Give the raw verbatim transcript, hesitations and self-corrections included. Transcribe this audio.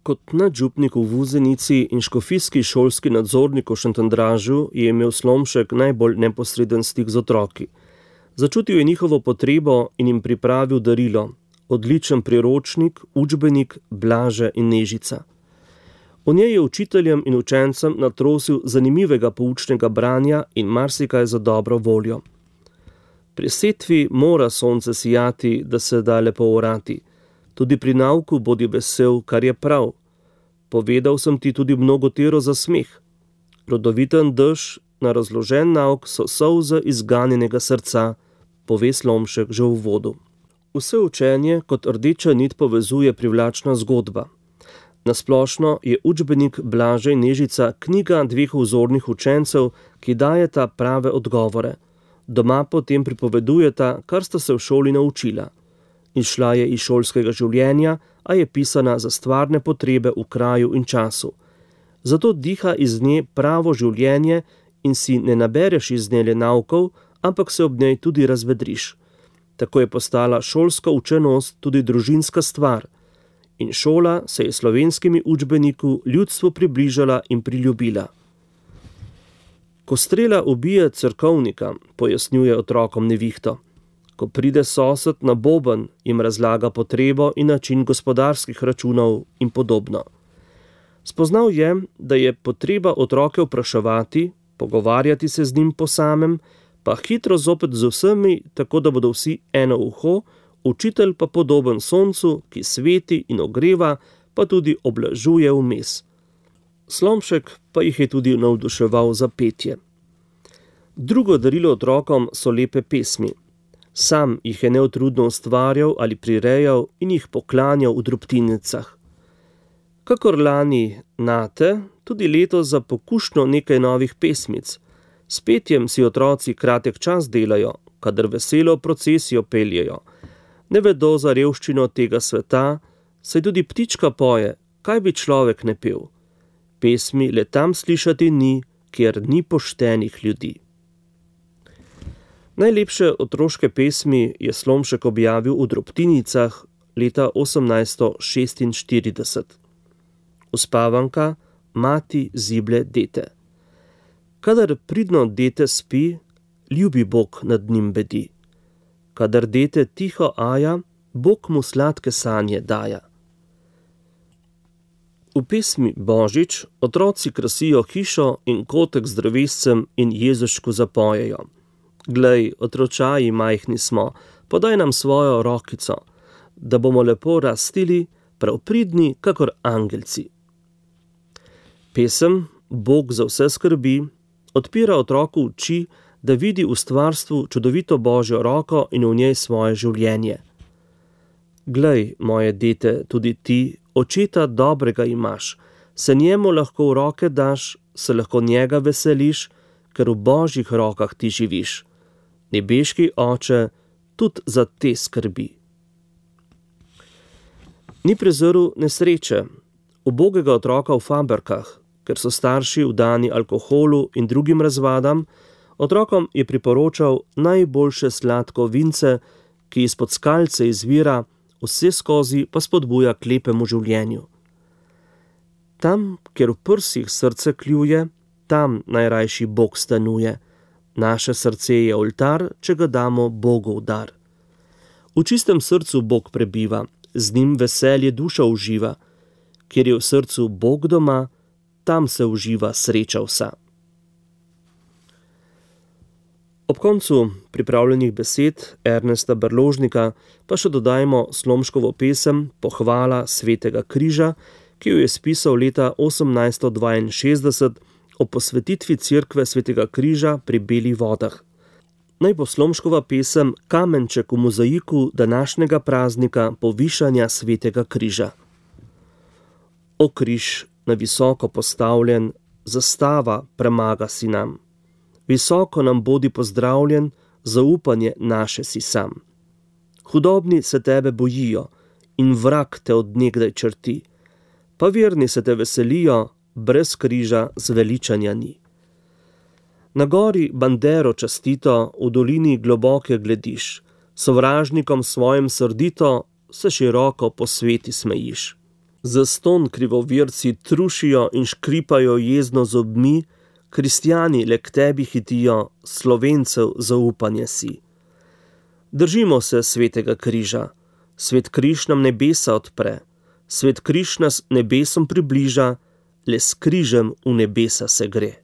Kot nadžupnik v Vuzenici in škofijski šolski nadzornik v Šentjandražu je imel Slomšek najbolj neposreden stik z otroki. Začutil je njihovo potrebo in jim pripravil darilo, odličen priročnik, učbenik Blaže in Nežica. V njej je učiteljem in učencem natrosil zanimivega poučnega branja in marsikaj za dobro voljo. Pri setvi mora sonce sijati, da se da lepo orati. Tudi pri nauku bodi vesel, kar je prav. Povedal sem ti tudi mnogotero za smeh. Rodoviten dež na razložen nauk so solze izganjenega srca, pove Slomšek že v uvodu. Vse učenje kot rdeča nit povezuje privlačna zgodba. Nasplošno je učbenik Blaže in Nežica knjiga dveh vzornih učencev, ki dajeta prave odgovore. Doma potem pripovedujeta, kar sta se v šoli naučila. Izšla je iz šolskega življenja, a je pisana za stvarne potrebe v kraju in času. Zato diha iz nje pravo življenje in si ne nabereš iz nje le naukov, ampak se ob njej tudi razvedriš. Tako je postala šolska učenost tudi družinska stvar. In šola se je slovenskimi učbeniku ljudstvu približala in priljubila. Ko strela ubije cerkovnika, pojasnjuje otrokom Nevihto. Ko pride sosed na boben, jim razlaga potrebo in način gospodarskih računov in podobno. Spoznal je, da je potreba otroke vpraševati, pogovarjati se z njim po samem, pa hitro zopet z vsemi, tako da bodo vsi eno uho, učitelj pa podoben soncu, ki sveti in ogreva, pa tudi oblažuje vmes. Slomšek pa jih je tudi navduševal za petje. Drugo darilo otrokom so lepe pesmi. Sam jih je neutrudno ustvarjal ali prirejal in jih poklanjal v drobtinicah. Kakor lani Nate, tudi letos za pokušnjo nekaj novih pesmic. S petjem si otroci kratek čas delajo, kadar veselo procesijo peljejo. Ne vedo za revščino tega sveta, saj tudi ptička poje, kaj bi človek ne pel. Pesmi le tam slišati ni, kjer ni poštenih ljudi. Najlepše otroške pesmi je Slomšek objavil v drobtinicah leta osemnajststo šestinštirideset. Uspavanka, mati zible dete. Kadar pridno dete spi, ljubi Bog nad njim bedi. Kadar dete tiho aja, Bog mu sladke sanje daja. V pesmi Božič otroci krasijo hišo in kotek z drevescem in Jezušku zapojejo. Glej, otročaji majhni smo, podaj nam svojo rokico, da bomo lepo rastili, prav pridni, kakor angelci. Pesem Bog za vse skrbi odpira otroku oči, da vidi v stvarstvu čudovito Božjo roko in v njej svoje življenje. Glej, moje dete, tudi ti, očeta dobrega imaš, se njemu lahko v roke daš, se lahko njega veseliš, ker v Božjih rokah ti živiš. Nebeški oče tudi za te skrbi. Ni prezrl nesreče, ubogega otroka v fabrikah, ker so starši vdani alkoholu in drugim razvadam, otrokom je priporočal najboljše sladko vince, ki izpod skalce izvira, vse skozi pa spodbuja k lepemu življenju. Tam, kjer v prsih srce kljuje, tam najrajši Bog stanuje. Naše srce je oltar, če ga damo Bogu v dar. V čistem srcu Bog prebiva, z njim veselje duša uživa. Kjer je v srcu Bog doma, tam se uživa sreča vsa. Ob koncu pripravljenih besed Ernesta Brložnika pa še dodajmo Slomškovo pesem Pohvala svetega križa, ki jo je spisal leta osemnajststo dvainšestdeset o posvetitvi cerkve svetega križa pri Belih vodah. Naj bo Slomškova pesem kamenček v mozaiku današnjega praznika povišanja svetega križa. O križ, na visoko postavljen, zastava premaga si nam. Visoko nam bodi pozdravljen, zaupanje naše si sam. Hudobni se tebe bojijo in vrag te od nekdaj črti, pa verni se te veselijo, brez križa zveličanja ni. Na gori bandero častito, v dolini globoke glediš, sovražnikom svojim srdito se široko po sveti smejiš. Zastonj krivovirci trušijo in škripajo jezno zobmi, kristjani le k tebi hitijo, Slovencev zaupanje si. Držimo se svetega križa. Svet križ nam nebesa odpre. Svet križ nas nebesom približa, le s križem v nebesa se gre.